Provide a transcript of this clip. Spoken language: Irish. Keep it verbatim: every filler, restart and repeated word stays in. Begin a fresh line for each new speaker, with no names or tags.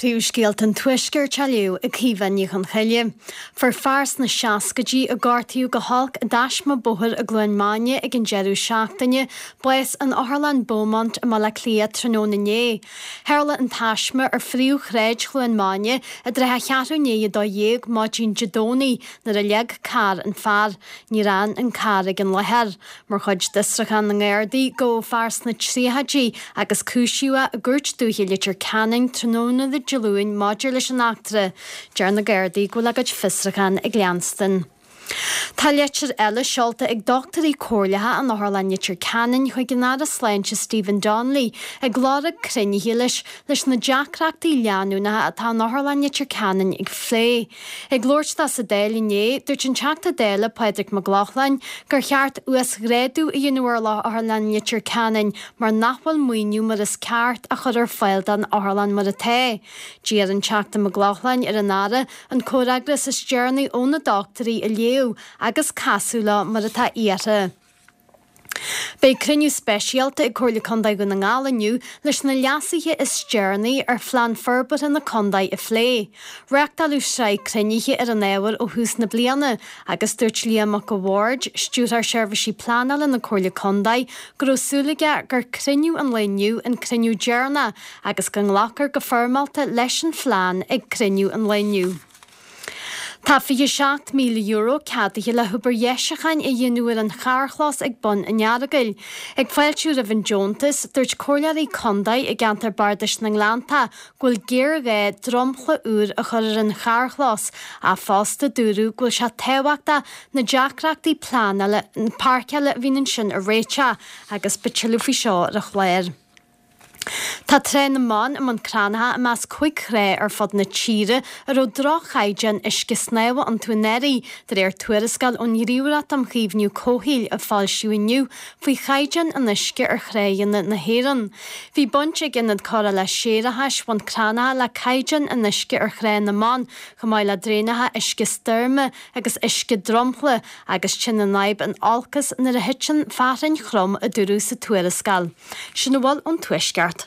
Príomhscéalta an Tuaiscirt á léamh ag Caoimhe Ní Chonchoille. Fuair fear sna seascaidí a gortaíodh go holc i dtaisme bóthair i gCluain Maine ag an deireadh seachtaine, bás in Otharlann Beaumont i mBaile Átha Cliath tráthnóna inné. Tharla an taisme ar phríomhshráid Chluain Maine i dtrátha a cheathrú i ndiaidh a dó dhéag maidin Dé Domhnaigh nuair a leag carr an fear. Níor fhan an carr ag an láthair. Mar chuid d'fhiosrúchán na nGardaí, gabhadh fear sna tríochaidí agus cúisíodh é i gCúirt Dúiche Leitir Ceanainn tráthnóna Dé Luain maidir leis an eachtra. Deir na Gardaí go bhfuil a gcuid fiosrúchán ag leanstan. Tá leitir eile seolta ag dochtúirí comhairleacha in Otharlann Leitir Ceanainn chuig an Aire Sláinte Stephen Donnelly ag lorg cruinnithe leis leis na deacrachtaí leanúnacha atá in Otharlann Leitir Ceanainn a phlé. Ag labhairt dó sa Dáil inné, dúirt an Teachta Dála Pádraig Mac Lochlainn gur cheart uasghrádú a dhéanamh ar Otharlann Leitir Ceanainn mar nach bhfuil maoiniú mar is ceart á chur ar fáil don otharlann mar atá. D'iarr an Teachta Mac Lochlainn ar an Aire an comhfhreagras is deireanaí ó na dochtúirí a léamh agus casadh leo mar atá iarrtha. Beidh cruinniú speisialta ag Comhairle Contae Dhún na nGall inniu leis na leasuithe is deireanaí ar phlean forbartha na contae a phlé. Reáchtáladh sraith cruinnithe ar an ábhar ó thús na bliana agus dúirt Liam Mac a' Bhaird, Stiúrthóir Seirbhísí Pleanála na Comhairle Contae, go raibh súil aige gur cruinniú an lae inniu an cruinniú deireanach agus go nglacfar go foirmeálta leis an phlean ag cruinniú an lae inniu. Tá fiche seacht míle euro ceadaithe le hobair dheisiúcháin a dhéanamh ar an charrchlós ag bun an Earagail. Ag fáiltiú roimh an deontas, dúirt comhairleoirí contae i gceantar Bardais na nGleannta go bhfuil géarghá dromchla úr a chur ar an charrchlós, ach fosta dúradh go bhfuil sé tábhachtach na deacrachtaí pleanála páirceála a bhíonn ansin a réiteach agus beidh tuilleadh faoi seo ar an chlár. Tá Trá na mBan i mBun Cranncha i measc cúig thrá ar fud na tíre a raibh droch-chaighdeán uisce snámha iontu anuraidh, de réir tuarascáil ón nGníomhaireacht um Chaomhnú Comhshaoil a foilsíodh inniu faoi chaighdeán an uisce ar thráigheanna na hÉireann. Bhí baint ag Ionad Cóireála Séarachais Bhun Cranncha le caighdeán an uisce ar Thrá na mBan, chomh maith le draenacha uisce stoirme agus uisce dromchla, agus téann an fhadhb in olcas nuair a thiteann fearthainn throm, a dúradh sa tuarascáil. Sin a bhfuil ón Tuaisceart.